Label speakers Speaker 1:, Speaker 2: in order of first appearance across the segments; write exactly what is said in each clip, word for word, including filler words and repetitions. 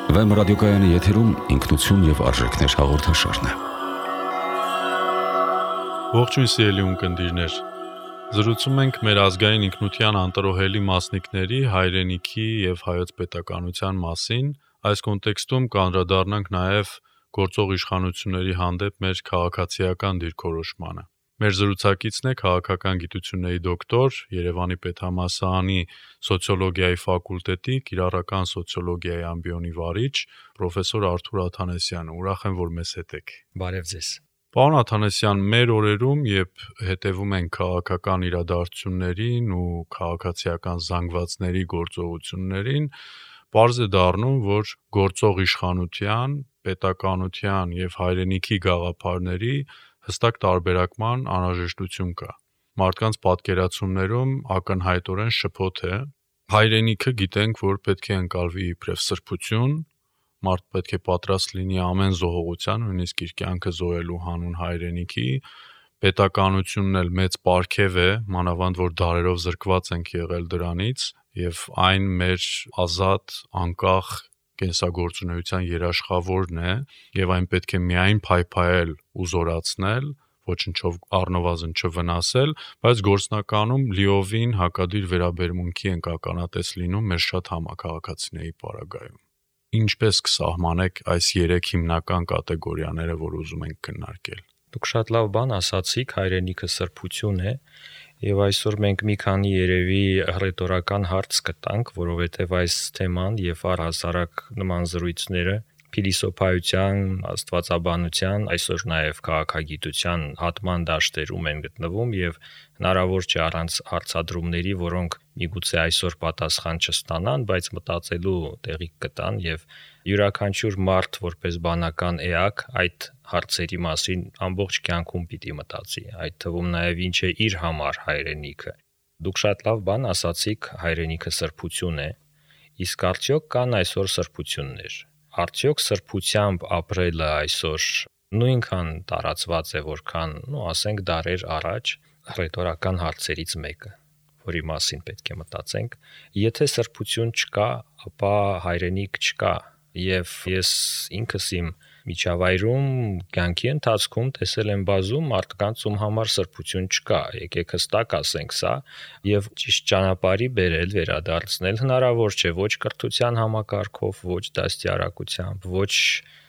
Speaker 1: Վեմ ռադիոկայանի եթերում ինքնություն և արժեքներ հաղորդաշարն է։
Speaker 2: Ողջույն սիրելի ունկնդիրներ, զրուցում ենք մեր ազգային ինքնության անտրոհելի մասնիկների հայրենիքի և հայոց պետականության մասին, այս կոնտեքստում կանդրադառնանք նաև գործող իշխանությունների հանդեպ մեր քաղաքացիական դիրքորոշմանը։ Մեր զրուցակիցն է քաղաքական գիտությունների դոկտոր, Երևանի պետհամալսարանի սոցիոլոգիայի ֆակուլտետի կիրառական սոցիոլոգիայի ամբիոնի վարիչ, պրոֆեսոր Արթուր Աթանեսյանը։ Ուրախ եմ, որ մեզ հետ եք։
Speaker 3: Բարև ձեզ։
Speaker 2: Պարոն Աթանեսյան, մեր օրերում, երբ հետևում ենք քաղաքական իրադարձություններին ու քաղաքացիական զանգվածների գործողություններին, պարզ է դառնում, որ գործող իշխանության, պետականության և հայրենիքի գաղափարների հստակ տարբերակման անհրաժեշտություն կա։ Մարդկանց պատկերացումներում ակնհայտորեն շփոթ է։ Հայրենիքը գիտենք, որ պետք է ընկալվի իբրև սրբություն, մարդ պետք է պատրաստ լինի ամեն զոհողության, նույնիսկ իր կյանքը զոհելու հանուն հայրենիքի, պետականությունն էլ մեծ պարգև է, մանավանդ որ դարերով զրկված ենք եղել դրանից, և այն մեր ազատ, անկախ կենսագործունեության երաշխավորն է, և այն պետք է միայն փայփայել ու զորացնել, ոչնչով առնվազն չվնասել, բայց գործնականում լիովին հակադիր վերաբերմունքի ենք ականատես լինում մեր շատ համաքաղաքացիների պարագայում։ Ինչպես կսահմանեք այս երեք հիմնական կատեգորիաները, որ ուզում ենք քննարկել։
Speaker 3: Դուք շատ լավ բան ասացիք, հայրենիքը սրբություն է, եւ այսօր մենք մի քանի երևի հռետորական հարց կտանք, որովհետեւ այս թեման եւ առհասարակ նման զրույցները փիլիսոփայության, աստվածաբանության, այսօր նաև քաղաքագիտության հատման դաշտերում են գտնվում եւ հնարավոր չէ առանց հարցադրումների, որոնք միգուցե այսօր պատասխան չստանան, բայց մտածելու տեղիք կտան եւ յուրաքանչյուր մարդ որպես բանական էակ այդ հարցերի մասին ամբողջ կյանքում պիտի մտածի, այդ թվում նաև ինչ է իր համար հայրենիքը։ Դուք շատ լավ բան ասացիք, հայրենիքը սրբություն է, իսկ արդյոք կան այսօր սրբություններ։ Արդյոք սրբությամբ ապրելը այսօր նույնքան տարածված է, որքան, ну, ասենք դարեր առաջ, ռետորական հարցերից մեկը, որի մասին պետք է մտածենք։ Եթե սրբություն չկա, ապա հայրենիք չկա, եւ ես ինքս իմ միջավայրում կյանքի ընթացքում տեսել եմ բազում մարդկանց, ում համար սրբություն չկա, եկեք հստակ ասենք սա, եւ ճիշտ ճանապարհի բերել, վերադարձնել հնարավոր չէ ոչ կրթության համակարգով, ոչ դաստիարակությամբ, ոչ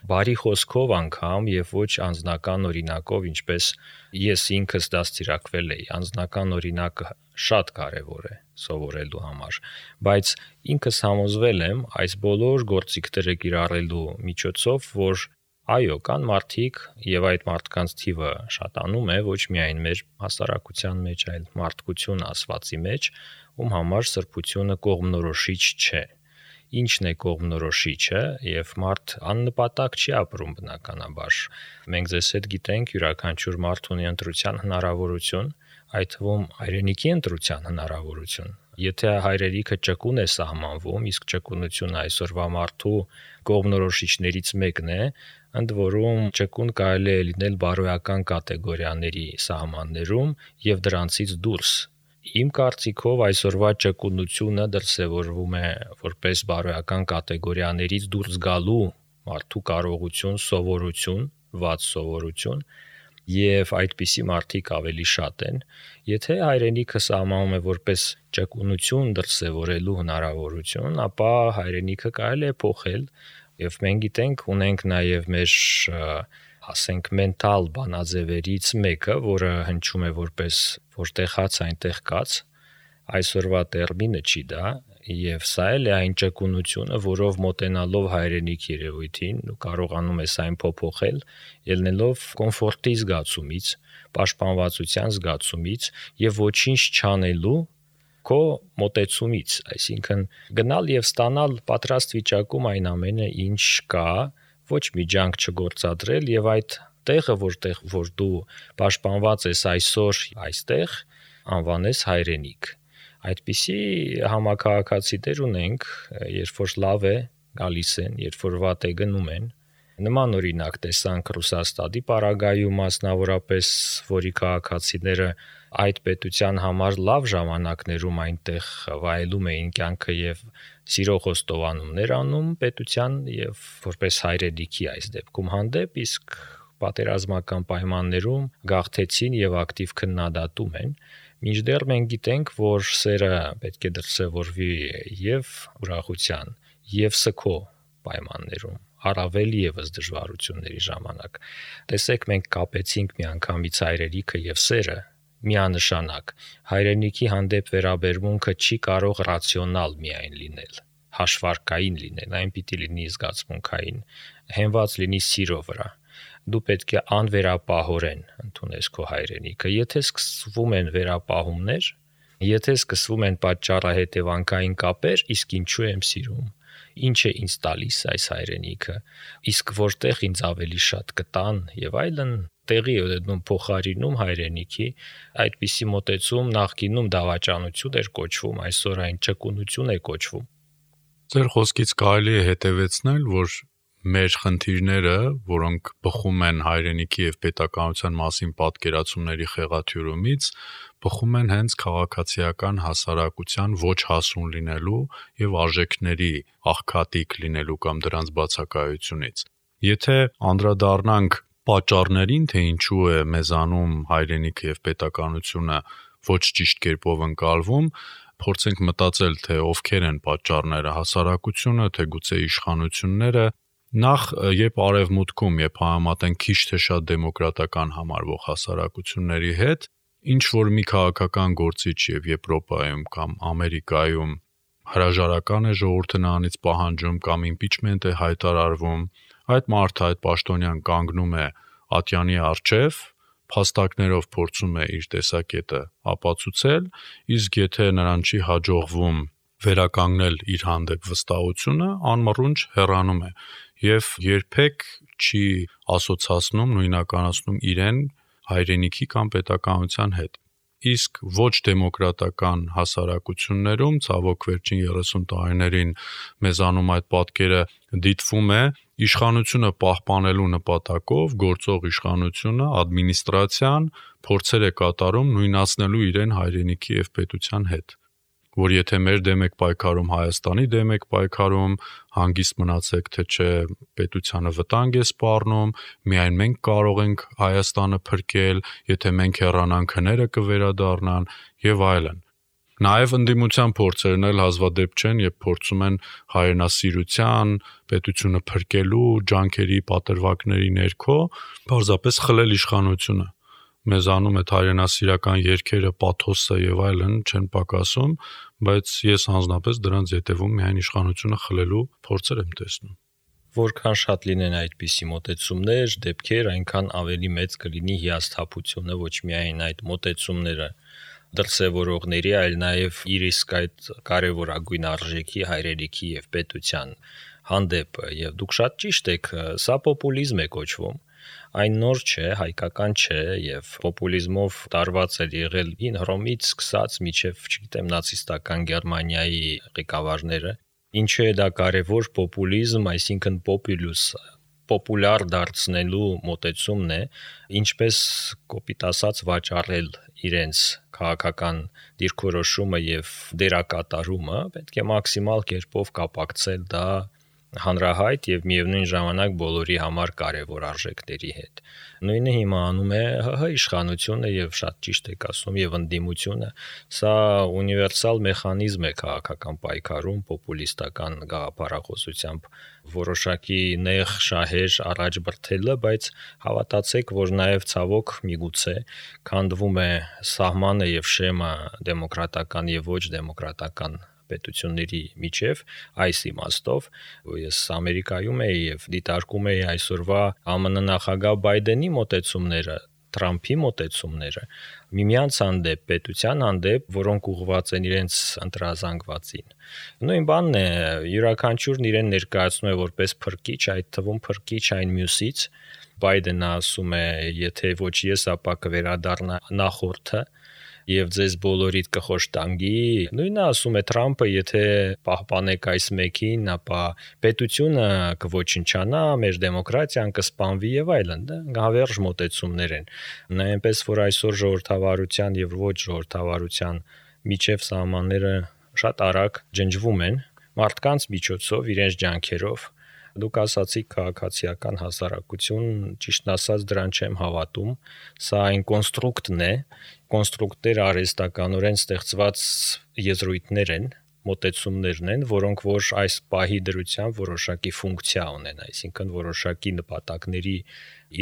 Speaker 3: բարի խոսքով անգամ եւ ոչ անձնական օրինակով, ինչպես ես ինքս դաստիարակվել էի։ Անձնական օրինակը շատ կարեւոր է սովորելու համար, բայց ինքս համոզվել եմ այս բոլոր գործիքները կիրառելու միջոցով, որ այո, կան մարդիկ եւ այդ մարդկանց թիվը շատանում է ոչ միայն մեր հասարակության մեջ, այլ մարդկություն ասվածի մեջ, ում համար սրբությունը կողմնորոշիչ չէ։ Ինչն է կողմնորոշիչը, եւ մարդ աննպատակ չի ապրում բնականաբար։ Մենք ձեզ հետ գիտենք, յուրաքանչյուր մարդ ունի ընտրության հնարավորություն, այդ թվում հայրենիքի ընտրության հնարավորություն։ Եթե հայրենիքը ճկուն է սահմանվում, իսկ ճկունությունը այսօրվա մարդու կողմնորոշիչներից մեկն է, ընդ որում ճկուն կարելի է լինել բարոյական կատեգորիաների սահմաններում եւ դրանցից դուրս։ Իմ կարծիքով այսօրվա ճկունությունը դրսևորվում է որպես բարոյական կատեգորիաներից դուրս գալու մարդու կարողություն, սովորություն, վատ սովորություն, եւ այդպիսի մարդիկ ավելի շատ են։ Եթե հայրենիքը սահմանում է որպես ճկունություն դրսևորելու հնարավորություն, ապա հայրենիքը կարելի է փոխել, եւ մենք գիտենք, ունենք նաեւ մեր ասենք մենտալ բանաձևերից մեկը, որը հնչում է որպես որտեղ հաց այնտեղ կաց, այսօրվա տերմինը չի դա, եւ սա էլ է այն ճկունությունը, որով մոտենալով հայրենիք երևույթին ու կարողանում ես այն փոփոխել, ելնելով կոմֆորտի զգացումից, պաշտպանվածության զգացումից եւ ոչինչ չանելու քո մոտեցումից, այսինքն գնալ եւ ստանալ պատրաստ վիճակում այն ամենը, ինչ կա, ոչ մի ջանք չգործադրել եւ այդ տեղը, որտեղ որ դու պաշտպանված ես այսօր այստեղ, անվանես հայրենիք։ Այդպիսի համակարգացիներ ունենք, երբ որ լավ է գալիս են, երբ որ վատ է գնում են, Նման օրինակ տեսանք Ռուսաստանի պարագայում մասնավորապես, որի քաղաքացիները այդ պետության համար լավ ժամանակներում այնտեղ վայելում էին կյանքը եւ սիրո խոստովանումներ անում պետության եւ որպես հայրենիքի այս դեպքում հանդեպ, իսկ պատերազմական պայմաններում գաղթեցին եւ ակտիվ քննադատում են, մինչդեռ մենք գիտենք, որ սերը պետք է դրսևորվի եւ ուրախության, եւ սքո պայմաններում, առավել եւս դժվարությունների ժամանակ։ Տեսեք, մենք կապեցինք միանգամից հայրենիքը եւ սերը միանշանակ։ Հայրենիքի հանդեպ վերաբերմունքը չի կարող ռացիոնալ միայն լինել, հաշվարկային լինել, այն պիտի լինի զգացմունքային, հենված լինի սիրո վրա։ Դու պետք է անվերապահորեն ընդունես քո հայրենիքը։ Եթե սկսվում են վերապահումներ, եթե սկսվում են պատճառահետևանքային կապեր, իսկ ինչու եմ սիրում, ինչ է ինձ տալիս այս հայրենիքը, իսկ որտեղ ինձ ավելի շատ կտան եւ այլն, տեղի է դնում փոխարինում հայրենիքի, այդպիսի մոտեցում նախկինում դավաճանություն էր կոչվում, այսօր այն ճկունություն է կոչվում։
Speaker 2: Ձեր խոսքից կարելի է հետևեցնել, որ մեր խնդիրները, որոնք բխում են հայրենիքի եւ պետականության մասին պատկերացումների խեղաթյուրումից, բխում են հենց քաղաքացիական հասարակության ոչ հասուն լինելու եւ արժեքների աղքատիկ լինելու կամ դրանց բացակայությունից։ Եթե անդրադառնանք պատճառներին, թե ինչու է մեզանում հայրենիքը եւ պետականությունը ոչ ճիշտ կերպով ընկալվում, փորձենք մտածել, թե ովքեր են պատճառները, հասարակությունը, թե գուցե իշխանությունները։ Նախ, երբ արևմուտքում, երբ համեմատեն քիչ թե շատ դեմոկրատական համարվող հասարակությունների հետ, ինչ որ մի քաղաքական գործիչ եւ Եվրոպայում կամ Ամերիկայում հրաժարական է ժողովուրդը նրանից պահանջում կամ իմպիչմենտ է հայտարարվում, այդ մարդը, այդ պաշտոնյան կանգնում է ատյանի առջև, փաստարկներով փորձում է իր տեսակետը ապացուցել, իսկ եթե նրան չի հաջողվում վերականգնել իր հանդեպ վստահությունը, անմռունչ հեռանում է եւ երբեք չի ասոցացնում, նույնականացնում իրեն հայրենիքի կամ պետականության հետ։ Իսկ ոչ դեմոկրատական հասարակություններում, ցավոք վերջին երեսուն տարիներին մեզանում այդ պատկերը դիտվում է, իշխանությունը պահպանելու նպատակով գործող իշխանությունը, ադմինիստրացիան փորձեր է կատարում նույնացնելու իրեն հայրենիքի եւ պետության հետ, որ եթե մեր դեմ եք պայքարում, Հայաստանի դեմ եք պայքարում, հանգիստ մնացեք, թե չէ պետությանը վտանգ է սպառնում, միայն մենք կարող ենք Հայաստանը փրկել, եթե մենք հեռանանք, հները կվերադառնան եւ այլն։ Նաև ընդդիմության փորձերն էլ հազվադեպ չեն, երբ փորձում են հայրենասիրության, պետությունը փրկելու ջանքերի պատրվակների ներքո պարզապես խլել իշխանությունը։ Մեզանում այդ հայրենասիրական երգերը, պաթոսը եւ այլն չեն պակասում, բայց ես հանձնապես դրանց ետևում միայն իշխանությունը խլելու փորձեր եմ տեսնում։
Speaker 3: Որքան շատ լինեն այդպիսի մոտեցումներ, դեպքեր, այնքան ավելի մեծ կլինի հիասթափությունը ոչ միայն այդ մոտեցումները դրսևորողների, այլ նաև իր իսկ այդ կարևորագույն արժեքի հայրենիքի եւ պետության հանդեպ։ Եվ դուք շատ ճիշտ եք, սա պոպուլիզմ է կոչվում։ Այն նոր չէ, հայկական չէ եւ պոպուլիզմով տարված է եղել հին Հռոմից սկսած մինչեւ, չգիտեմ, նացիստական Գերմանիայի ղեկավարները։ Ինչու է դա կարևոր պոպուլիզմ, այսինքն պոպուլյուս, պոպուլար դարձնելու մոտեցումն է, ինչպես կոպիտ ասած վաճառել իրենց քաղաքական դիրքորոշումը եւ դերակատարումը, պետք է մաքսիմալ կերպով կապակցել դա հանրահայտ եւ միևնույն ժամանակ բոլորի համար կարևոր արժեքների հետ։ Նույնը հիմա անում է ՀՀ իշխանությունը եւ շատ ճիշտ եք ասում եւ ընդդիմությունը։ Սա ունիվերսալ մեխանիզմ է քաղաքական պայքարում պոպուլիստական գաղափարախոսությամբ որոշակի նեղ շահեր առաջ բրթելը, բայց հավատացեք, որ նաեւ ցավոք միգուցե քանդվում է սահմանը եւ շեմը դեմոկրատական եւ ոչ դեմոկրատական պետությունների միջև այս իմաստով ես Ամերիկայում եի եւ դիտարկում էի այսօրվա ԱՄՆ նախագահ Բայդենի մոտեցումները, Թրամփի մոտեցումները միմյանց հանդեպ, պետության հանդեպ, որոնք ուղղված են իրենց ընտրազանգվածին։ Նույն բանն է, յուրաքանչյուրն իրեն ներկայացնում է որպես փրկիչ, այդ թվում փրկիչ այն մյուսից։ Բայդենը ասում է, եթե ոչ ես, ապա կվերադառնա նախորդը։ եւ ձեզ բոլորիդ կխոշտանգի։ Նույնը ասում է Թրամփը, եթե պահպանեք այս մեկին, ապա պետությունը կոչնչանա, մեր դեմոկրատիան կսպանվի եւ այլն, դա գավերժ մոտեցումներ են։ Այնպես որ այսօր ժողովրդավարության եւ ոչ ժողովրդավարության միջև սահմանները շատ արագ ջնջվում են մարդկանց միջոցով, իրենց ջանքերով։ Դուք ասացիք քաղաքացիական հասարակություն, ճիշտն ասած դրան չեմ հավատում, սա այն կոնստրուկտն է, կոնստրուկտները արհեստականորեն ստեղծված եզրույթներ են, մոտեցումներն են, որոնք որ այս պահի դրությամբ որոշակի ֆունկցիա ունեն, այսինքն որոշակի նպատակների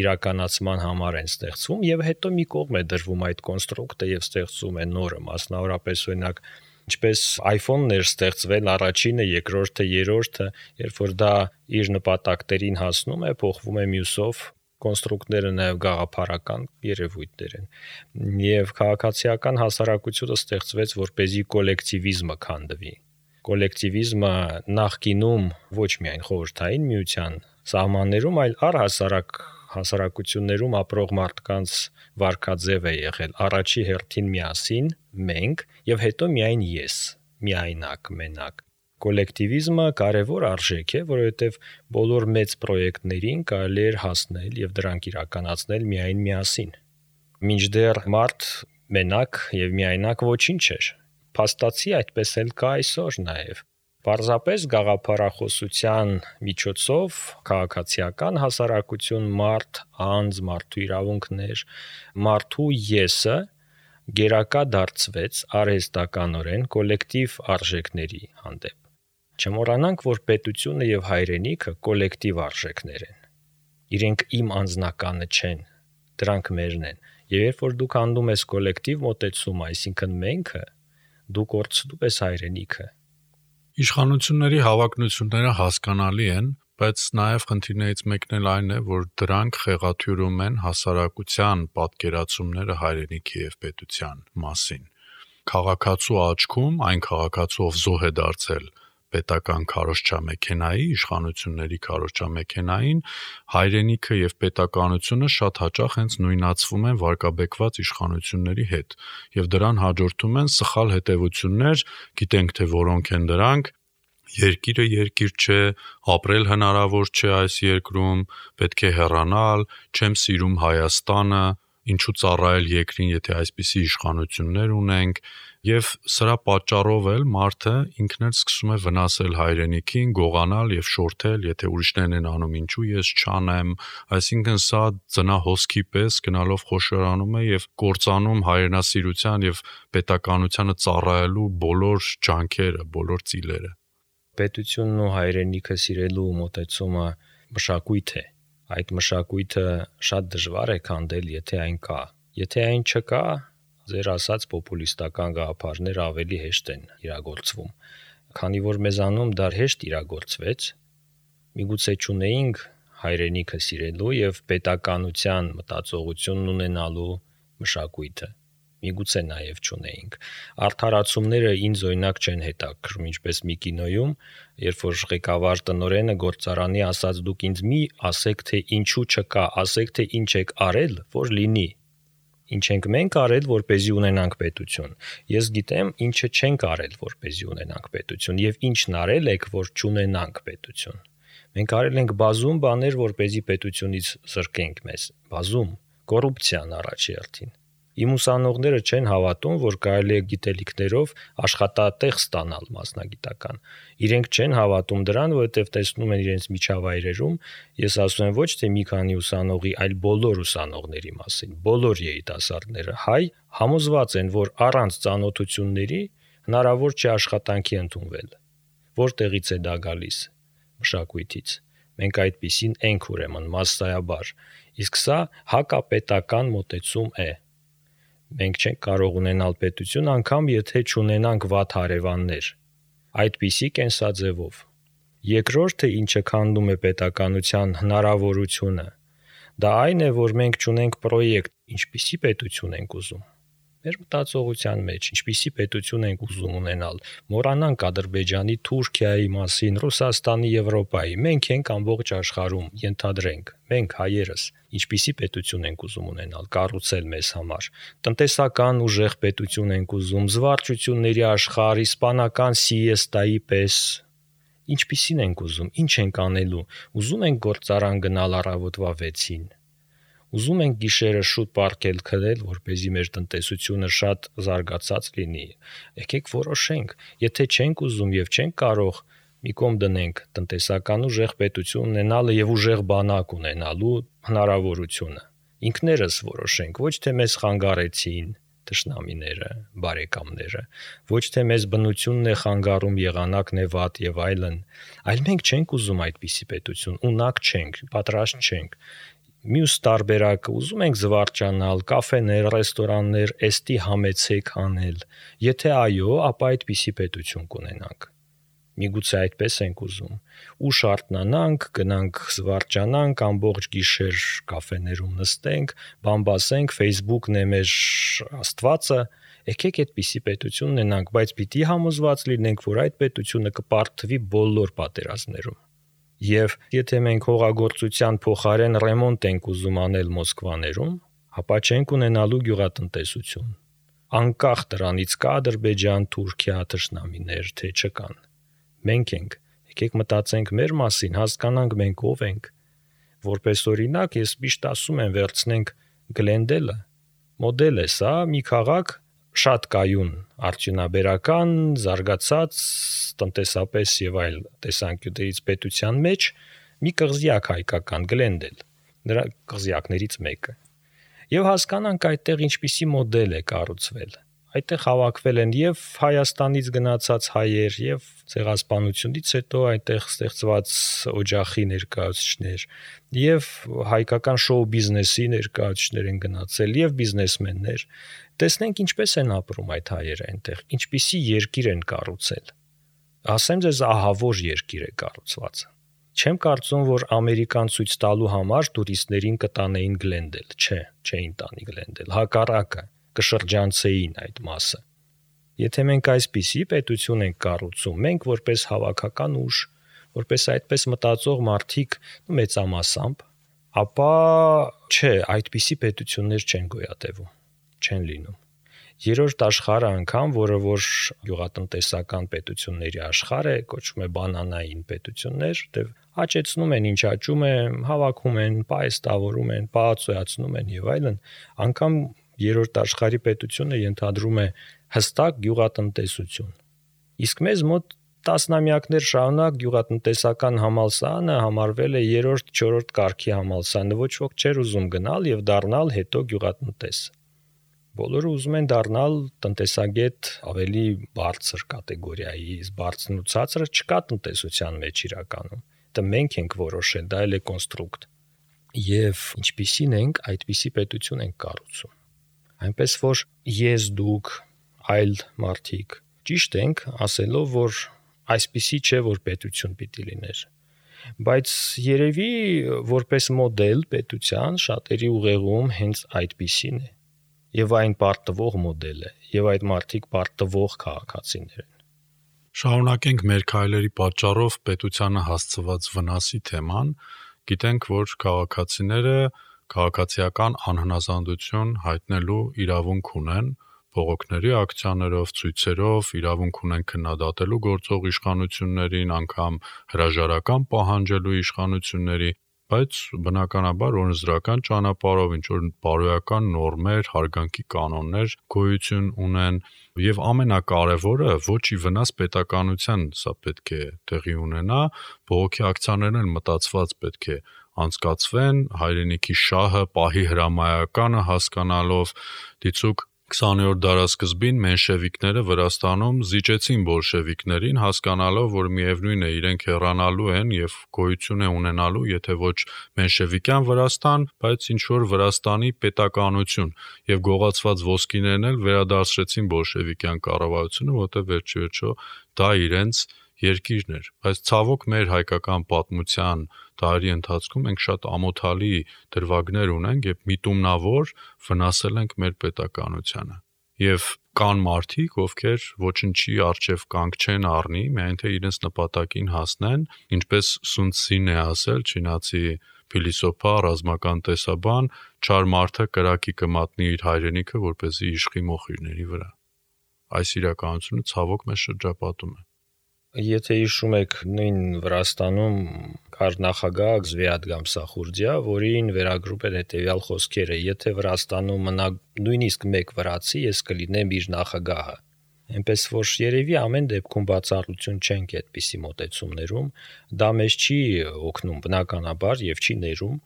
Speaker 3: իրականացման համար են ստեղծվում եւ հետո մի կողմ է դրվում այդ կոնստրուկտը եւ ստեղծում է նորը, մասնավորապես օրինակ ինչպես iPhone-ն էր ստեղծվել առաջինը, երկրորդը, երրորդը, երբ որ դա իր նպատակներին հասնում է, փոխվում է մյուսով, կոնստրուկտները նաև գաղափարական երևույթներ են։ Եվ քաղաքացիական հասարակությունը ստեղծվեց, որպեսզի կոլեկտիվիզմը քանդվի։ Կոլեկտիվիզմը նախկինում ոչ միայն խորհրդային միության սահմաններում, այլ առհասարակ հասարակություններում ապրող մարդկանց վարքաձև է եղել առաջի հերթին միասին, մենք եւ հետո միայն ես, միայնակ, մենակ։ Կոլեկտիվիզմը կարևոր արժեք է, որովհետեւ բոլոր մեծ պրոյեկտներին կարելի է հասնել եւ դրանք իրականացնել միայն միասին։ Մինչդեռ մարդ մենակ եւ միայնակ ոչինչ չէր։ Փաստացի այդպես էլ կա այսօր նաեւ։ Պարզապես գաղափարախոսության միջոցով քաղաքացիական հասարակություն, մարդ, անձ, մարդու իրավունքներ, մարդու եսը գերակա դարձվեց արհեստականորեն կոլեկտիվ արժեքների հանդեպ։ Չմոռանանք, որ պետությունը եւ հայրենիքը կոլեկտիվ արժեքներ են։ Իրենք իմ անձնականը չեն, դրանք մերն են։ Եվ երբ որ դուք հանդում ես կոլեկտիվ մոտեցում, այսինքն մենք, դու կորցնում ես հայրենիքը։
Speaker 2: Իշխանությունների հավակնությունները հասկանալի են, բայց նաև խնդիրներից մեկն էլ այն է, որ դրանք խեղաթյուրում են հասարակության պատկերացումները հայրենիքի եւ պետության մասին։ Քաղաքացու աչքում այն քաղաքացու, ով զոհ է դարձել պետական քարոզչամեքենայի, իշխանությունների քարոզչամեքենային, հայրենիքը եւ պետականությունը շատ հաճախ հենց նույնացվում են վարկաբեկված իշխանությունների հետ եւ դրան հաջորդում են սխալ հետևություններ, գիտենք թե որոնք են դրանք, երկիրը երկիր չէ, ապրել հնարավոր չէ այս երկրում, պետք է հեռանալ, չեմ սիրում Հայաստանը, ինչու ծառայել երկրին, եթե այսպիսի իշխանություններ ունենք, եւ սրա պատճառով էլ մարդը ինքն էլ սկսում է վնասել հայրենիքին, գողանալ եւ շորթել, եթե ուրիշներն են անում, ինչու ես չանեմ, այսինքն սա ծնահոսքի պես գնալով խոշորանում է եւ կործանում հայրենասիրության եւ պետականությանը ծառայելու բոլոր ջանքերը, բոլոր ծիլերը։
Speaker 3: Պետությունն ու հայրենիքը սիրելու մոտեցումը մշակույթ է։ Այդ մշակույթը շատ դժվար է քանդել, եթե այն կա։ Եթե այն չկա, ձեր ասած պոպուլիստական գաղափարները ավելի հեշտ են իրագործվում։ Քանի որ մեզանում դա հեշտ իրագործվեց, միգուցե չունեինք հայրենիքը սիրելու եւ պետականության մտածողությունն ունենալու մշակույթը։ Միգուցե նաև չունեինք։ Արդարացումները ինձ օրինակ չեն հետաքրում, ինչպես մի կինոյում, երբ որ ղեկավար տնօրենը գործարանի ասաց դուք ինձ մի ասեք թե ինչու չկա, ասեք թե ինչ եք արել, որ լինի։ Ինչ ենք մենք արել, որպեսզի ունենանք պետություն։ Ես գիտեմ, ինչը չենք արել, որպեսզի ունենանք պետություն, եւ ինչն արել եք, որ չունենանք պետություն։ Մենք արել ենք բազում բաներ, որպեսզի պետությունից զրկենք մեզ։ Բազում կոռուպցիան առաջի հերթին։ Իմ ուսանողները չեն հավատում, որ կարելի է գիտելիքներով աշխատատեղ ստանալ մասնագիտական։ Իրենք չեն հավատում դրան, որովհետև տեսնում են իրենց միջավայրերում, ես ասում եմ ոչ թե մի քանի ուսանողի, այլ բոլոր ուսանողների մասին, բոլոր երիտասարդները հայ համոզված են, որ առանց ծանոթությունների հնարավոր չէ աշխատանքի ընդունվել։ Որտեղից է դա գալիս։ Մշակույթից։ Մենք այդպիսին ենք ուրեմն մասսայաբար, իսկ սա հակապետական մոտեցում է։ Մենք չենք կարող ունենալ պետություն անգամ եթե չունենանք վատ հարևաններ։ Այդպիսի կենսաձևով։ Երկրորդը, ինչը քանդում է պետականության հնարավորությունը, դա այն է, որ մենք չունենք պրոյեկտ, ինչպիսի պետություն ենք ուզում։ մեր մտածողության մեջ, ինչպիսի պետություն ենք ուզում ունենալ, մոռանանք Ադրբեջանի, Թուրքիայի մասին, Ռուսաստանի, Եվրոպայի, մենք ենք ամբողջ աշխարհում, ենթադրենք, մենք հայերս, ինչպիսի պետություն ենք ուզում ունենալ, կառուցել մեզ համար, տնտեսական ուժեղ պետություն ենք ուզում, զվարճությունների աշխարհ, իսպանական սիեստայի պես, ինչպիսին ենք ուզում, ինչ ենք անելու, ուզում ենք գործարան գնալ առավոտվա վեցին, ուզում ենք գիշերը շուտ պառկել քնել, որպեսզի մեր տնտեսությունը շատ զարգացած լինի, եկեք որոշենք, եթե չենք ուզում եւ չենք կարող, մի կողմ դնենք տնտեսական ուժեղ պետություն ունենալը եւ ուժեղ բանակ ունենալու հնարավորությունը, ինքներս որոշենք, ոչ թե մեզ խանգարեցին թշնամիները, բարեկամները, ոչ թե մեզ բնությունն է խանգարում, եղանակն է վատ եւ այլն, այլ մենք չենք ուզում այդպիսի պետություն, ունակ չենք, պատրաստ չենք։ Մյուս տարբերակը ուզում ենք զվարճանալ, կաֆեներ, ռեստորաններ, էստի համեցեք անել։ Եթե այո, ապա այդպիսի պետություն կունենանք։ Միգուցե այդպես ենք ուզում։ Ուշ արթնանանք, գնանք զվարճանանք, ամբողջ գիշեր կաֆեներում նստենք, բամբասենք, Facebook-ն է մեր Աստվածը, եկեք այդպիսի պետություն ունենանք, բայց պիտի համոզված լինենք, որ այդ պետությունը կպարտվի բոլոր պատերազմներում։ Եվ եթե մենք հողագործության փոխարեն ռեմոնտ ենք ուզում անել Մոսկվաներում, ապա չենք ունենալու գյուղատնտեսություն։ Անկախ դրանից կա Ադրբեջան, Թուրքիա թշնամիներ, թե չկան։ Մենք ենք, եկեք մտածենք մեր մասին, հասկանանք մենք ով ենք։ Որպես օրինակ, ես միշտ ասում եմ, վերցնենք Գլենդելը, մոդել է սա, մի քաղաք շատ կայուն, արդյունաբերական, զարգացած, տնտեսապես եւ այլ տեսանկյուններից պետության մեջ մի կղզիակ հայկական Գլենդել, նրա կղզիակներից մեկը։ Եվ հասկանանք այդտեղ ինչպիսի մոդել է կառուցվել։ Այդտեղ հավաքվել են եւ Հայաստանից գնացած հայեր եւ ցեղասպանությունից հետո այդտեղ ստեղծված օջախի ներկայացուցիչներ եւ հայկական շոու բիզնեսի ներկայացուցիչներ են գնացել եւ բիզնեսմեններ։ Տեսնենք ինչպես են ապրում այդ հայերը այնտեղ, ինչպիսի երկիր են կառուցել։ Ասեմ ձեզ, ահավոր երկիր է կառուցված։ Չեմ կարծում, որ ամերիկան ցույց տալու համար տուրիստներին կտանեին Գլենդել, չէ, չէին տանի Գլենդել, հակառակը կշրջանցեին այդ մասը։ Եթե մենք այսպիսի պետություն ենք կառուցում, մենք որպես հավաքական ուժ, որպես այդպես մտածող մարդիկ մեծամասամբ, ապա չէ, այդպիսի պետություններ չեն գոյատևում, չեն լինում։ Երրորդ աշխարհը անգամ, որը որ գյուղատնտեսական պետությունների աշխարհ է, կոչվում է բանանային պետություններ, դեռ աճեցնում են, ինչ աճում է, հավաքում են, պայստավորում են, պահածոյացնում են եւ այլն, անգամ երրորդ աշխարհի պետությունը ենթադրում է հստակ գյուղատնտեսություն։ Իսկ մեզ մոտ տասնամյակներ շարունակ գյուղատնտեսական համալսարանը համարվել է երրորդ, չորրորդ կարգի համալսարանը, ոչ ոք չէր ուզում գնալ եւ դառնալ հետո գյուղատնտես։ Բոլորը ուզում են դառնալ տնտեսագետ ավելի բարձր կատեգորիայի, բարձրն ու ցածրը չկա տնտեսության մեջ իրականում։ Դա մենք ենք որոշել, դա էլ է կոնստրուկտ։ Եվ ինչպիսին ենք, այդպիսի պետություն ենք կառուցում։ Այնպես որ ես դուք այլ մարդիկ ճիշտ ենք ասելով, որ այսպիսի չէ, որ պետություն պիտի լիներ, բայց երևի որպես մոդել պետության շատերի ուղեղում հենց այդպիսին է եւ այն պարտվող մոդել է եւ այդ մարդիկ պարտվող քաղաքացիներ են։
Speaker 2: Շարունակենք մեր քայլերի պատճառով պետությանը հասցված վնասի թեման, գիտենք, որ քաղաքացիները քաղաքացիական անհնազանդություն հայտնելու իրավունք ունեն, բողոքների ակցիաներով, ցույցերով, իրավունք ունեն քննադատելու գործող իշխանություններին, անգամ հրաժարական պահանջելու իշխանությունների, բայց բնականաբար օրենսդրական ճանապարհով ինչ որ բարոյական նորմեր, հարգանքի կանոններ գոյություն ունեն եւ ամենակարևորը ոչ ի վնաս պետականության սա պետք է տեղի ունենա, բողոքի ակցիաներն են մտածված պետք է անցկացվեն, հայրենիքի շահը, պահի հրամայականը հասկանալով, դիցուք քսաներորդ դարաշրջին մենշևիկները Վրաստանում զիջեցին բոլշևիկներին, հասկանալով, որ միևնույն է իրենք հեռանալու են եւ գոյություն է ունենալու, եթե ոչ մենշևիկյան Վրաստան, բայց ինչ որ Վրաստանի պետականություն եւ գողացված ոսկիներն էլ վերադարձրեցին բոլշևիկյան կառավարությունը, որտեղ վերջիվերջո դա իրենց երկիրն էր, բայց ցավոք մեր հայկական պատմության դարերի ընթացքում ենք շատ ամոթալի դրվագներ ունենք եւ միտումնավոր վնասել ենք մեր պետականությանը։ Եվ կան մարդիկ, ովքեր ոչնչի առջև կանգ չեն առնի, միայն թե իրենց նպատակին հասնեն, ինչպես Սուն Ցին է ասել, չինացի փիլիսոփա, ռազմական տեսաբան, չար մարդը կրակի կմատնի իր հայրենիքը, որպեսզի իշխի մոխիրների վրա։ Այս իրականությունը ցավոք մեզ շրջապատում է։
Speaker 3: Եթե հիշում եք, նույն Վրաստանում կար նախագահ Զվիատ Գամսախուրդիա, որին վերագրում էր հետևյալ խոսքերը. եթե Վրաստանում մնա նույնիսկ մեկ վրացի, ես կլինեմ իր նախագահը։ Այնպես որ երևի ամեն դեպքում բացառություն չենք այդպիսի մոտեցումներում, դա մեզ չի օգնում բնականաբար եւ չի ներում,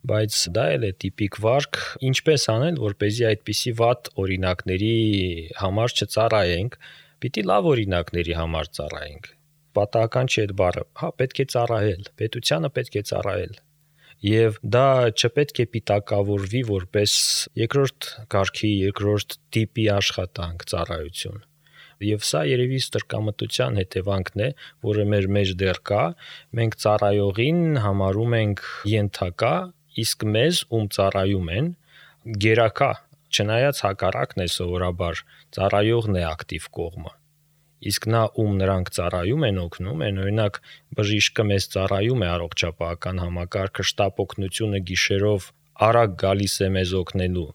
Speaker 3: բայց դա էլ է տիպիկ վարք, ինչպես անել, որպեսզի այդպիսի վատ օրինակների համար չծառայենք, պիտի լավ օրինակների համար ծառայենք։ Պատահական չի այդ բառը, հա, պետք է ծառայել, պետությանը պետք է ծառայել։ Եվ դա չպետք է պիտակավորվի որպես երկրորդ կարգի, երկրորդ տիպի աշխատանք, ծառայություն։ Եվ սա երևի ստրկամտության հետևանքն է, որը մեր մեջ դեռ կա, մենք ծառայողին համարում ենք ենթակա, իսկ մեզ, ում ծառայում են, գերակա, չնայած հակառակն է սովորաբար, ծառայողն է ակտիվ կողմը։ Իսկ նա, ում նրանք ծառայում են, օգնում են, օրինակ բժիշկը մեզ ծառայում է առողջապահական համակարգը, շտապ օգնությունը գիշերով արագ գալիս է մեզ օգնելու։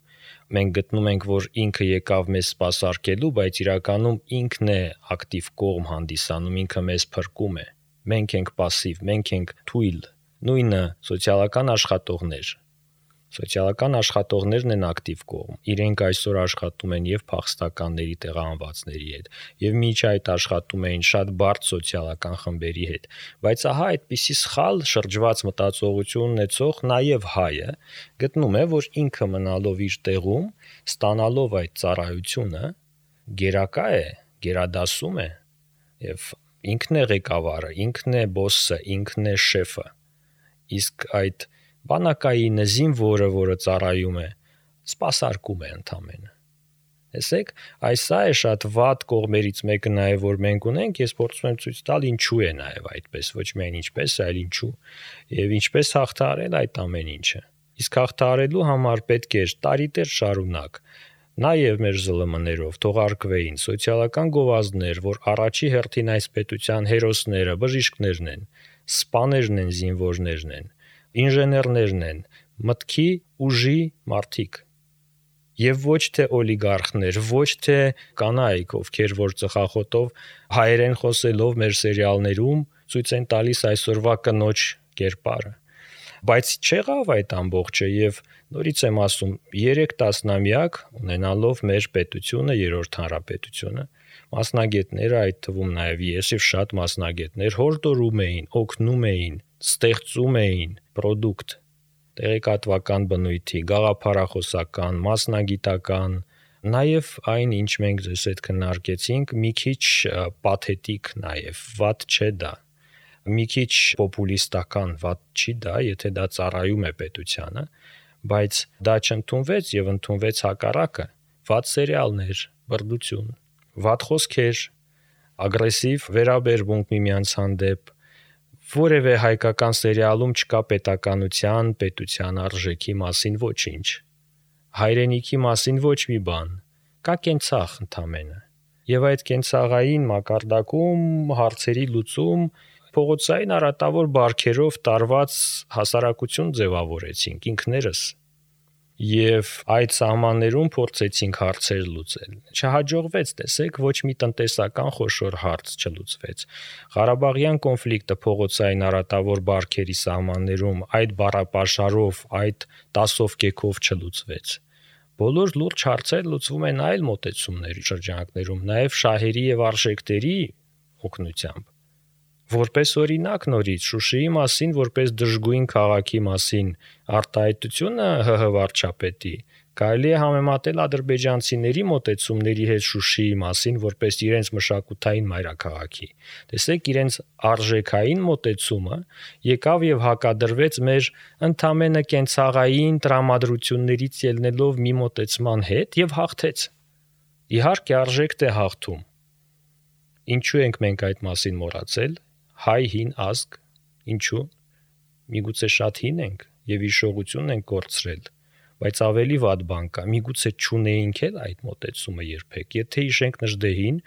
Speaker 3: Մենք գտնում ենք, որ ինքը եկավ մեզ սպասարկելու, բայց իրականում ինքն է ակտիվ կողմ հանդիսանում, ինքը մեզ փրկում է։ Մենք ենք пассив, մենք ենք թույլ։ Նույնը սոցիալական աշխատողներ։ Սոցիալական աշխատողներն են ակտիվ կողմ։ Իրենք այսօր աշխատում են եւ փախստականների տեղահանվածների հետ, եւ միջ այդ աշխատում էին շատ բարդ սոցիալական խմբերի հետ։ Բայց ահա այդպիսի սխալ շրջված մտածողություն ունեցող նաեւ հայը գտնում է, որ ինքը մնալով իր տեղում, ստանալով այդ ծառայությունը, գերակա է, գերադասում է եւ ինքն է ղեկավարը, ինքն է բոսսը, ինքն է շեֆը։ Իսկ այդ բանակայինը, զինվորը, որը ծառայում է, սպասարկում է ընդամենը։ Տեսեք, այս սա է շատ վատ կողմերից մեկը նաև որ մենք ունենք, ես փորձում եմ ցույց տալ ինչու է նաև այդպես, ոչ միայն ինչպես, այլ ինչու, եւ ինչպես հաղթահարել այդ ամեն ինչը։ Իսկ հաղթահարելու համար պետք է տարիներ շարունակ նաև մեր զլ էմ-ներով թողարկվեին սոցիալական գովազդներ, որ առաջի հերթին այս պետության հերոսները, բժիշկներն են, սպաներն են, զինվորներն են, ինժեներներն են, մտքի ուժի մարդիկ։ Եվ ոչ թե օլիգարխներ, ոչ թե կանայք, ովքեր որ ծխախոտով հայերեն խոսելով մեր սերիալներում ցույց են տալիս այսօրվա կնոջ կերպարը։ Բայց չեղավ այդ ամբողջը եւ նորից եմ ասում, երեք տասնամյակ ունենալով մեր պետությունը, երրորդ հանրապետությունը, մասնագետները, այդ թվում նաեւ ես եւ շատ մասնագետներ հորդորում էին, օգնում էին, ստեղծում էին product, տեղեկատվական բնույթի, գաղափարախոսական, մասնագիտական, նաև այն, ինչ մենք ձեզ հետ քննարկեցինք, մի քիչ պաթետիկ նաև, վատ չէ դա, մի քիչ պոպուլիստական, վատ չի դա, եթե դա ծառայում է պետությանը, բայց դա չընդունվեց եւ ընդունվեց հակառակը, վատ սերիալներ, բռնություն, վատ խոսքեր, ագրեսիվ վերաբերմունք միմյանց հանդեպ, որևէ հայկական սերիալում չկա պետականության, պետության արժեքի մասին ոչինչ, հայրենիքի մասին ոչ մի բան, կա կենցաղ ընդամենը։ Եվ այդ կենցաղային մակարդակում հարցերի լուծում փողոցային արատավոր բարքերով տարված հասարակություն ձևավորեցինք ինքներս։ Եվ այդ սահմաններում փորձեցինք հարցեր լուծել։ Չհաջողվեց, տեսեք, ոչ մի տնտեսական խոշոր հարց չլուծվեց։ Ղարաբաղյան կոնֆլիկտը փողոցային արատավոր բարքերի սահմաններում այդ բառապաշարով, այդ տասով կեքով չլուծվեց։ Բոլոր լուրջ հարցեր լուծվում են այլ մոտեցումների շրջանակներում, նաև շահերի եւ արժեքների օգնությամբ։ Որպես օրինակ նորից Շուշիի մասին, որպես դժգույն քաղաքի մասին արտահայտությունը ՀՀ վարչապետի կարելի է համեմատել ադրբեջանցիների մոտեցումների հետ Շուշիի մասին, որպես իրենց մշակութային մայրաքաղաքի։ Տեսեք, իրենց արժեքային մոտեցումը եկավ եւ հակադրվեց մեր ընդամենը կենցաղային տրամադրություններից ելնելով մի մոտեցման հետ եւ հաղթեց։ Իհարկե արժեքտ է հաղթում։ Ինչու ենք մենք այդ մասին մոռացել։ Հայ հին ազգ, ինչու։ Միգուցե շատ հին ենք եւ հիշողություն ենք կորցրել։ Բայց ավելի վատ բան կա, միգուցե չունեինք էլ այդ մոտեցումը երբեք։ Եթե հիշենք Նժդեհին,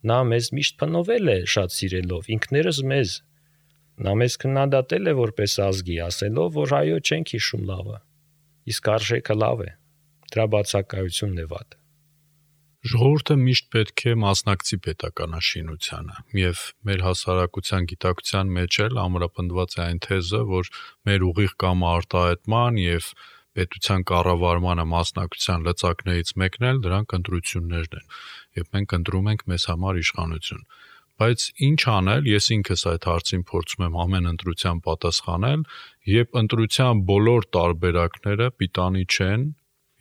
Speaker 3: նա մեզ միշտ փնովել է շատ սիրելով, ինքներս մեզ։ Նա մեզ քննադատել է որպես ազգի, ասելով, որ այո, չենք հիշում լավը։ Իսկ արժեքը լավ է։ Դրա բացակայությունն է վատ։
Speaker 2: Ժողովուրդը միշտ պետք է մասնակցի պետականաշինությանը, եւ մեր հասարակության գիտակցության մեջ էլ ամրապնդված է այն թեզը, որ մեր ուղիղ կամ արտահայտման եւ պետության կառավարմանը մասնակցության լծակներից մեկն էլ դրանք ընտրություններն են, եւ մենք ընտրում ենք մեզ համար իշխանություն։ Բայց ինչ անել, ես ինքս այդ հարցին փորձում եմ ամեն ընտրության պատասխանել, երբ ընտրության բոլոր տարբերակները պիտանի չեն,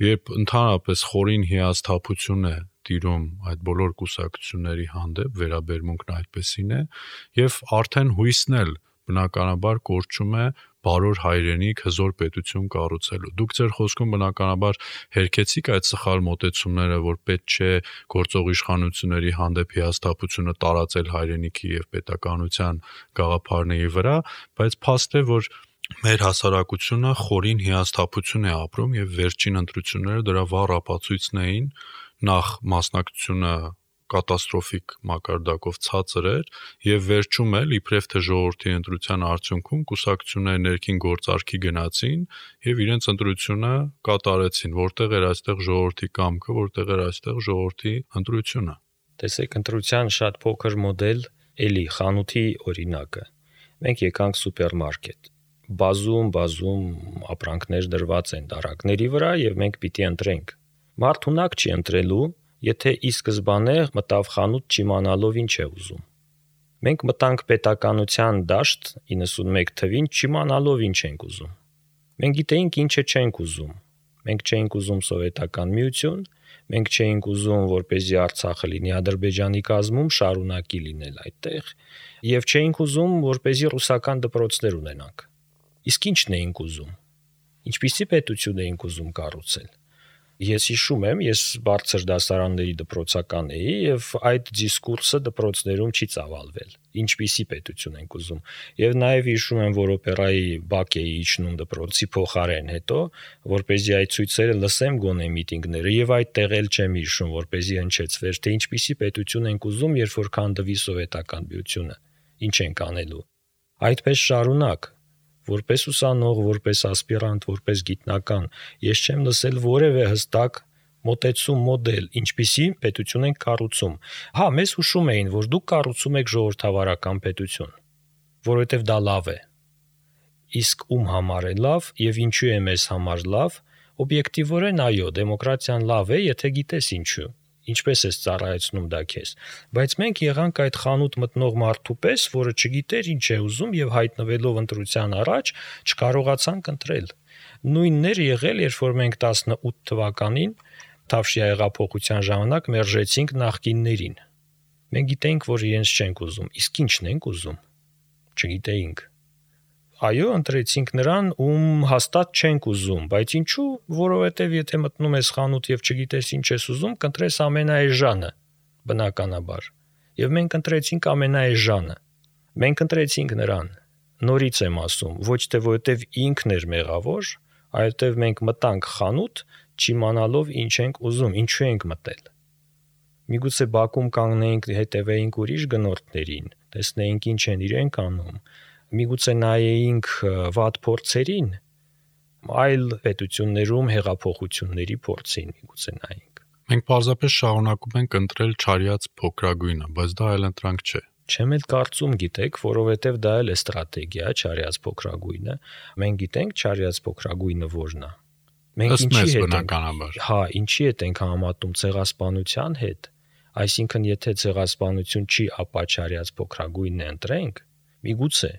Speaker 2: երբ ընդհանրապես խորին հիասթափություն է տիրում այդ բոլոր կուսակցությունների հանդեպ, վերաբերմունքն այդպեսին է, եւ արդեն հույսն էլ բնականաբար կորչում է բարոր հայրենիք հզոր պետություն կառուցելու։ Դուք ձեր խոսքում բնականաբար հերքեցիք այդ սխալ մոտեցումները, որ պետք չէ գործող իշխանությունների հանդեպ հիասթափությունը տարածել հայրենիքի եւ պետականության գաղափարների վրա, բայց փաստ է, որ մեր հասարակությունը խորին հիասթափություն է ապրում եւ վերջին ընտրությունները դրա վառ ապացույցն էին, նախ մասնակցությունը կատաստրոֆիկ մակարդակով ցածր էր եւ վերջում էլ իբրև թե ժողովրդի ընտրության արդյունքում կուսակցությունները ներքին գործարքի գնացին եւ իրենց ընտրությունը կատարեցին, որտեղ էր այստեղ ժողովրդի կամքը, որտեղ էր այստեղ ժողովրդի ընտրությունը։
Speaker 3: Տեսեք, ընտրության շատ փոքր մոդել էլի խանութի օրինակը։ Մենք եկանք սուպերմարկետ։ Բազում, բազում ապրանքներ դրված են դարակների վրա եւ մենք պիտի ընտրենք։ Մարդ ունակ չի ընտրելու, եթե ի սկզբանե մտավ խանութ չիմանալով ինչ է ուզում։ Մենք մտանք պետականության դաշտ իննսունմեկ թվին չիմանալով ինչ ենք ուզում։ Մենք գիտեինք ինչը չենք ուզում։ Մենք չէինք ուզում սովետական միություն, մենք չէինք ուզում, որպեսզի Արցախը լինի Ադրբեջանի կազմում, շարունակի լինել այդտեղ, եւ չէինք ուզում, որպեսզի ռուսական դպրոցներ ունենանք։ Իսկ ի՞նչն էինք ուզում։ Ինչպիսի պետություն էինք ուզում կառուցել։ Ես հիշում եմ, ես բարձր դասարանների դպրոցական էի եւ այդ դիսկուրսը դպրոցներում չի ծավալվել։ Ինչպիսի պետություն ենք ուզում։ Եվ նաեւ հիշում եմ, որ օպերայի բակ էի իջնում դպրոցի փոխարեն հետո, որպեսզի այդ ցույցերը լսեմ գոնե միտինգները եւ այդտեղ էլ չեմ հիշում, որպեսզի հնչեցվեր, թե ինչպիսի պետություն ենք ուզում, երբ որ քանդվի սովետական միությունը։ Ինչ ենք անելու։ Այդպես շարունակ։ Որպես ուսանող, որպես ասպիրանտ, որպես գիտնական, ես չեմ լսել որևէ հստակ մոտեցում մոդել, ինչպիսի պետություն ենք կառուցում։ Հա, մեզ հուշում էին, որ դուք կառուցում եք ժողովրդավարական պետություն, որովհետև դա լավ է։ Իսկ ում համար է լավ եւ ինչու է մեզ համար լավ, օբյեկտիվորեն այո, դեմոկրատիան լավ է, եթե գիտես ինչու։ Ինչպես ես ծառայեցնում դա քեզ, բայց մենք եղանք այդ խանութ մտնող մարդու պես, որը չգիտեր ինչ է ուզում եւ հայտնվելով ընտրության առաջ չկարողացանք ընտրել։ Նույնն էր եղել, երբ որ մենք տասնութ թվականին Թավշյա հեղափոխության ժամանակ մերժեցինք նախկիններին։ Մենք գիտեինք, որ իրենց չենք ուզում, իսկ ինչն ենք ուզում։ Չգիտեինք։ Այո, ընտրեցինք նրան, ում հաստատ չենք ուզում, բայց ինչու, որովհետև եթե մտնում ես խանութ եւ չգիտես ինչ ես ուզում, կընտրես ամենաէժանը, բնականաբար։ Եվ մենք ընտրեցինք ամենաէժանը։ Մենք ընտրեցինք նրան։ Նորից եմ ասում, ոչ թե որովհետև ինքն էր մեղավոր, այլ որովհետև մենք մտանք խանութ, չիմանալով ինչ ենք ուզում, ինչու ենք մտել։ Միգուցե բակում կանգնեինք, հետևեինք ուրիշ գնորդներին, տեսնեինք ինչ են իրենք անում։ Միգուցե նայեինք վատ փորձերին, այլ պետություններում հեղափոխությունների փորձին միգուցե նայենք։
Speaker 2: Մենք պարզապես շարունակում ենք ընտրել չարյաց փոքրագույնը, բայց դա այլ ընտրանք չէ։
Speaker 3: Չեմ էլ կարծում, գիտեք, որովհետև դա էլ է ստրատեգիա, չարյաց փոքրագույնը։ Մենք գիտենք չարյաց փոքրագույնը որն է։ Մենք ինչի հետ ենք, հա, ինչի հետ ենք համատում ցեղասպանության հետ։ Այսինքն, եթե ցեղասպանություն չի, ապա չարյաց փոքրագույնն է ընտրենք, միգուցե,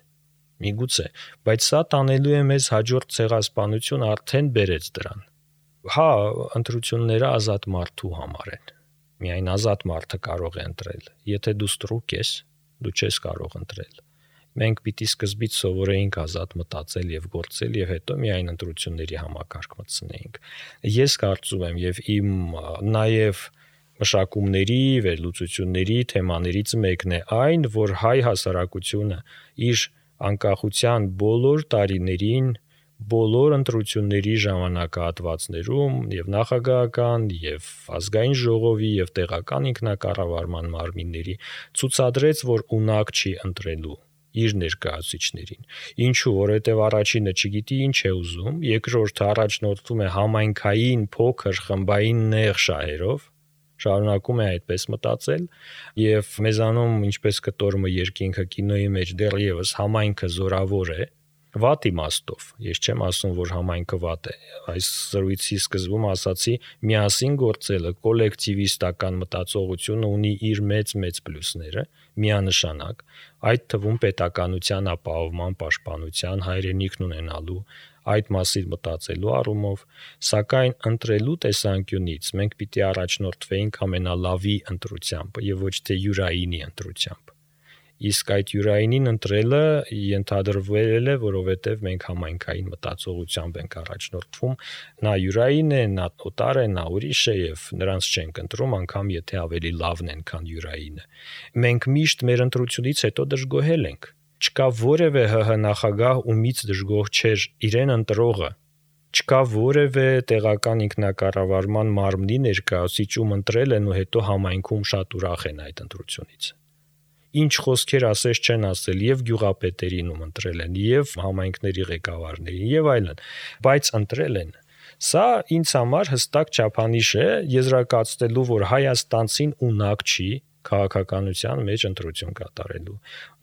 Speaker 3: միգուցե, բայց սա տանելու է մեզ հաջորդ ցեղասպանություն արդեն բերեց դրան։ Հա, ընտրությունները ազատ մարդու համար են։ Միայն ազատ մարդը կարող է ընտրել։ Եթե դու ստրուկ ես, դու չես կարող ընտրել։ Մենք պիտի սկզբից սովորեինք ազատ մտածել եւ գործել եւ հետո միայն ընտրությունների համակարգ մտցնեինք։ Ես կարծում եմ եւ իմ նաեւ մշակումների, վերլուծությունների թեմաներից մեկն է այն, որ հայ հասարակությունը իր անկախության բոլոր տարիներին բոլոր ընտրությունների ժամանակահատվածներում եւ նախագահական, եւ ազգային ժողովի, եւ տեղական ինքնակառավարման մարմինների ցուցադրեց, որ ունակ չի ընտրելու իր ներկայացուցիչներին։ Ինչու, որովհետեւ առաջինը չգիտի ինչ է ուզում, երկրորդը առաջնորդվում է համայնքային փոքր խմբային նեղ շահերով, շարունակում է այդպես մտածել, եւ մեզանում, ինչպես կտորմը երկինքը կինոյի մեջ դեռևս համայնքը զորավոր է, վատ իմաստով։ Ես չեմ ասում, որ համայնքը վատ է։ Այս զրույցի սկզբում ասացի, միասին գործելը, կոլեկտիվիստական մտածողությունը ունի իր մեծ-մեծ պլյուսները, միանշանակ, այդ թվում պետականության ապահովման պաշտպանության, հայրենիքն ունենալու, այդ մասին մտածելու առումով, սակայն ընտրելու տեսանկյունից մենք պիտի առաջնորդվեինք ամենալավի ընտրությամբ եւ ոչ թե յուրայինի ընտրությամբ։ Իսկ այդ յուրայինին ընտրելը ենթադրվել է, որովհետև մենք համայնքային մտածողությամբ ենք առաջնորդվում, նա յուրային է, նա օտար է, նա ուրիշ է եւ նրանց չենք ընտրում, անգամ եթե ավելի լավն են, քան յուրայինը։ Մենք միշտ մեր ընտրությունից հետո դժգոհել ենք։ Չկա որևէ ՀՀ նախագահ, ումից դժգոհ չէր իրեն ընտրողը։ Չկա որևէ տեղական ինքնակառավարման մարմնի ներկայացուցիչ, ում ընտրել են ու հետո համայնքում շատ ուրախ են այդ ընտրությունից։ Ինչ խոսքեր ասես չեն ասել եւ գյուղապետերին ում ընտրել են, եւ համայնքների ղեկավարներին եւ այլն, բայց ընտրել են։ Սա ինձ համար հստակ չափանիշ է եզրակացնելու, որ հայաստանցին ունակ չի քաղաքականության մեջ ընտրություն կատարելու։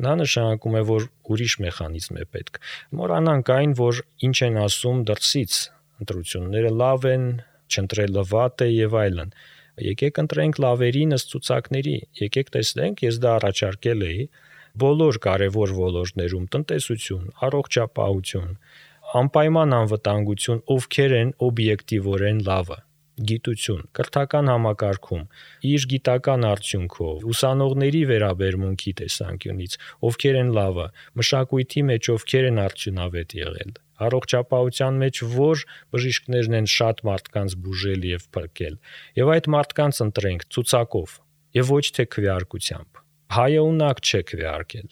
Speaker 3: Նա նշանակում է, որ ուրիշ մեխանիզմ է պետք։ Մոռանանք այն, որ ինչ են ասում դրսից, ընտրությունները լավ են, չընտրելը վատ է եւ այլն։ Եկեք ընտրենք լավերին ըստ ցուցակների, եկեք տեսնենք, ես դա առաջարկել էի բոլոր կարևոր ոլորտներում՝ տնտեսություն, առողջապահություն, անպայման անվտանգություն, ովքեր են օբյեկտիվորեն լավը, գիտություն, կրթական համակարգում, իր գիտական արդյունքով, ուսանողների վերաբերմունքի տեսանկյունից, ովքեր են լավը, մշակույթի մեջ ովքեր են արդյունավետ եղել, առողջապահության մեջ որ բժիշկներն են շատ մարդկանց բուժել եւ փրկել, եւ այդ մարդկանց ընտրենք ցուցակով եւ ոչ թե քվեարկությամբ։ Հայը ունակ չէ քվեարկել։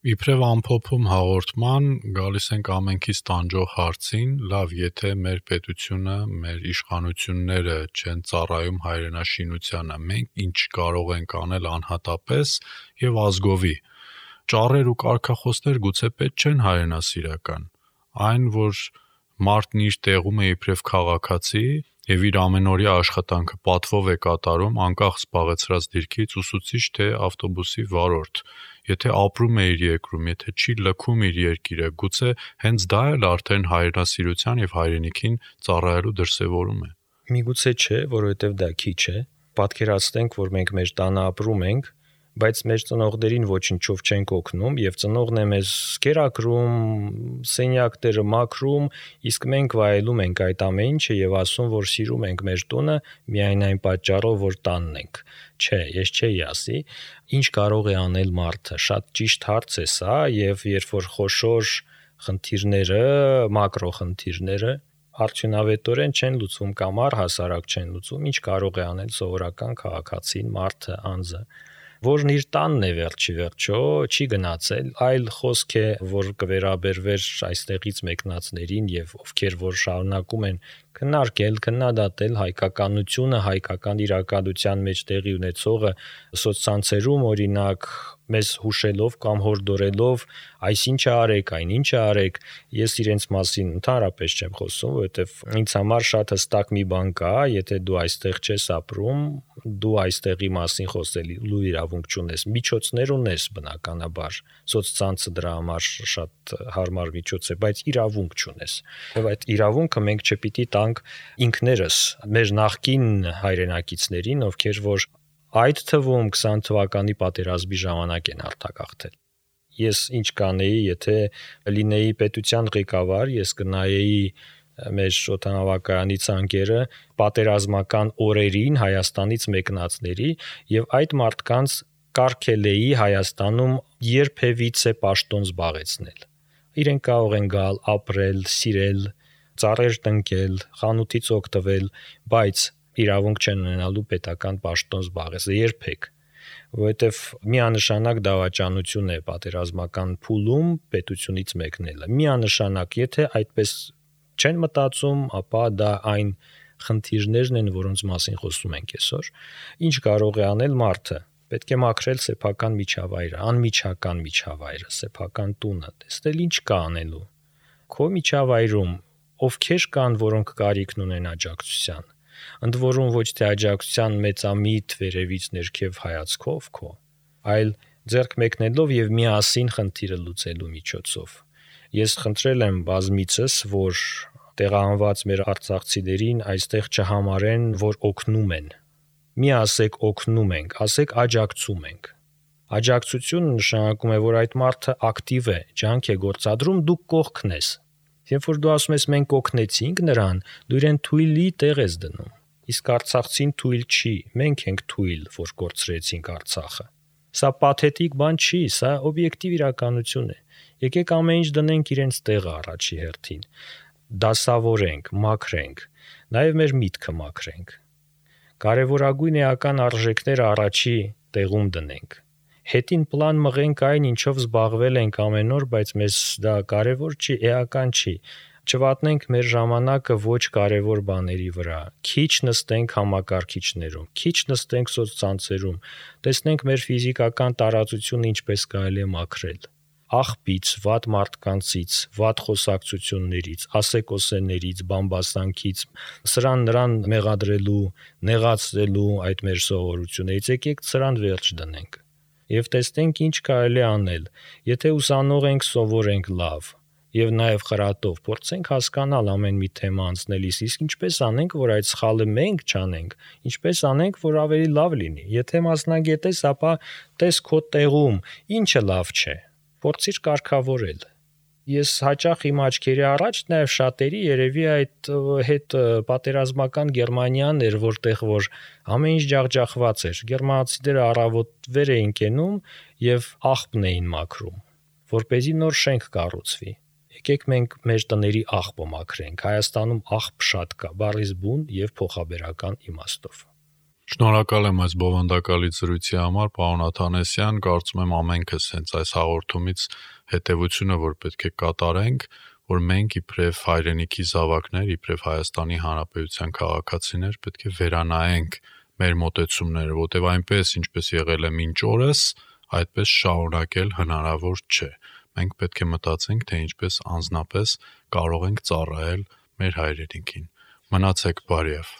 Speaker 2: Իբրև ամփոփում հաղորդման գալիս ենք ամենքից տանջող հարցին, լավ, եթե մեր պետությունը, մեր իշխանությունները չեն ծառայում հայրենաշինությանը, մենք ինչ կարող ենք անել անհատապես եւ ազգովի։ Ճառեր ու կարգախոսներ գուցե պետք չեն հայրենասիրական, այն, որ մարդն իր տեղում է իբրև քաղաքացի եւ իր ամենօրյա աշխատանքը պատվով է կատարում, անկախ զբաղեցրած դիրքից, ուսուցիչ թե ավտոբուսի վարորդ։ Եթե ապրում է իր երկրում, եթե չի լքում իր երկիրը, գուցե հենց դա էլ արդեն հայրենասիրության եւ հայրենիքին ծառայելու դրսեւորում է։
Speaker 3: Միգուցե չէ, որովհետեւ դա քիչ է։ Պատկերացնենք, որ մենք մեր տանը ապրում ենք, բայց մեր ծնողներին ոչինչով չենք օգնում եւ ծնողն է մեզ կերակրում, սենյակները մաքրում, իսկ մենք վայելում ենք այդ ամեն ինչը եւ ասում, որ սիրում ենք մեր տունը միայն այն պատճառով, որ տանն ենք։ Չէ, ես չէի ասի, ինչ կարող է անել մարդը։ Շատ ճիշտ հարց է սա եւ երբ որ խոշոր խնդիրները, մակրո խնդիրները արդյունավետորեն չեն լուծվում կամ առհասարակ չեն լուծվում, ինչ կարող է անել սովորական քաղաքացին, մարդը, անձը, որն իր տանն է վերջի վերջո, չի գնացել, այլ խոսք է, որ կվերաբերվեր այստեղից մեկնածներին եւ ովքեր որ շարունակում են քննարկել, քննադատել հայկականությունը, հայկական իրականության մեջ տեղի ունեցողը սոցցանցերում, օրինակ, մեզ հուշելով կամ հորդորելով, այսինչը արեք, այնինչը արեք, ես իրենց մասին ընդհանրապես չեմ խոսում, որովհետև ինձ համար շատ հստակ մի բան կա, եթե դու այստեղ չես ապրում, դու այստեղի մասին խոսելու իրավունք չունես, միջոցներ ունես բնականաբար, սոցցանցը դրա համար շատ հարմար միջոց է, բայց իրավունք չունես։ Եվ այդ իրավունքը մենք չպիտի տանք ինքներս, մեր նախկին հայրենակիցներին, ովքեր որ այդ թվում քսան թվականի պատերազմի ժամանակ են արտագաղթել։ Ես ինչ կանեի, եթե լինեի պետության ղեկավար, ես կնայեի մեր օդանավակայանի ցանկերը պատերազմական օրերին Հայաստանից մեկնածների եւ այդ մարդկանց կարգելեի Հայաստանում երբևիցե պաշտոն զբաղեցնել։ Իրենք կարող են գալ, ապրել, սիրել, ծառեր տնկել, խանութից օգտվել, բայց իրավունք չեն ունենալու պետական պաշտոն զբաղեցնել երբեք։ որովհետև միանշանակ դավաճանություն է պատերազմական փուլում պետությունից մեկնելը։ Միանշանակ, եթե այդպես չեն մտածում, ապա դա այն խնդիրներն են, որոնց մասին խոսում ենք այսօր։ Ինչ կարող է անել մարդը։ Պետք է մաքրել սեփական միջավայրը, անմիջական միջավայրը, սեփական տունը, տեսնել ինչ կա անելու։ Քո միջավայրում ովքեր կան, որոնք կարիքն ունեն աջակցության, ընդ որում ոչ թե աջակցության մեծամիտ վերևից ներքև հայացքով քո, այլ ձեռք մեկնելով եւ միասին խնդիրը լուծելու միջոցով։ Ես խնդրել եմ բազմիցս, որ տեղահանված մեր արցախցիներին այստեղ չհամարեն, որ օգնում են։ Մի ասեք օգնում ենք, ասեք աջակցում ենք։ Աջակցությունը նշանակում է, որ այդ մարդը ակտիվ է, ջանք է գործադրում, դու կողքն ես։ Երբ որ դու ասում ես մենք օգնեցինք նրան, դու իրեն թույլի տեղ ես դնում։ Իսկ արցախցին թույլ չի, մենք ենք թույլ, որ կորցրեցինք Արցախը։ Սա պաթետիկ բան չի, սա օբյեկտիվ իրականություն է։ Եկեք ամեն ինչ դնենք իրենց տեղը առաջի հերթին։ Դասավորենք, մաքրենք, նաև մեր միտքը մաքրենք։ Կարևորագույն էական արժեքները առաջի տեղում դնենք։ Հետին պլան մղենք այն, ինչով զբաղվել ենք ամեն օր, բայց մեզ դա կարևոր չի, էական չի։ Չվատնենք մեր ժամանակը ոչ կարևոր բաների վրա։ Քիչ նստենք համակարգիչներում, քիչ նստենք սոցցանցերում, տեսնենք մեր ֆիզիկական տարածությունը ինչպես կարելի է մաքրել։ Աղբից, վատ մարդկանցից, վատ խոսակցություններից, ասեկոսեներից, բամբասանքից, սրան նրան մեղադրելու, նեղացնելու այդ մեր սովորություններից եկեք սրան վերջ դնենք։ Եվ տեսնենք ինչ կարելի է անել։ Եթե ուսանող ենք, սովորենք լավ, եւ նաեւ խրատով փորձենք հասկանալ ամեն մի թեմա անցնելիս, իսկ ինչպես անենք, որ այդ սխալը մենք չանենք, ինչպես անենք, որ ավելի լավ լինի։ Եթե մասնագետ ես, ապա տես քո տեղում, ինչը լավ չէ։ Փորձիր կարգավորել։ Ես հաճախ իմ աչքերի առաջ նաև շատերի երևի այդ հետ պատերազմական Գերմանիան էր, որտեղ որ ամեն ինչ ջախջախված էր։ Գերմանացիները առավոտ վեր էին կենում եւ աղբն էին մաքրում, որպեսզի նոր շենք կառուցվի։ Եկեք մենք մեր տների աղբը մաքրենք։ Հայաստանում աղբ շատ կա, բառից բուն եւ փոխաբերական իմաստով։
Speaker 2: Շնորհակալ եմ այս բովանդակալի զրույցի համար, պարոն Աթանեսյան, կարծում եմ ամենքս հենց այս հաղորդումից հետևությունը, որ պետք է կատարենք, որ մենք իբրև հայրենիքի զավակներ, իբրև Հայաստանի Հանրապետության քաղաքացիներ պետք է վերանայենք մեր մոտեցումները, որտեղ այնպես ինչպես եղել է մինչ օրս, այդպես շարունակել հնարավոր չէ։ Մենք պետք է մտածենք, թե ինչպես անձնապես կարող ենք ծառայել մեր հայրենիքին։ Մնացեք բարիով։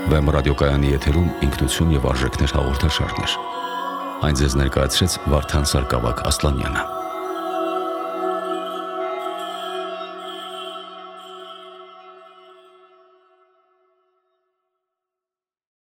Speaker 1: Վեմ ռադիոկայանի եթերում ինքնություն եւ արժեքներ հաղորդաշարներ։ Այն ձեզ ներկայացրեց Վարդան Սարգսակ Ասլանյանը։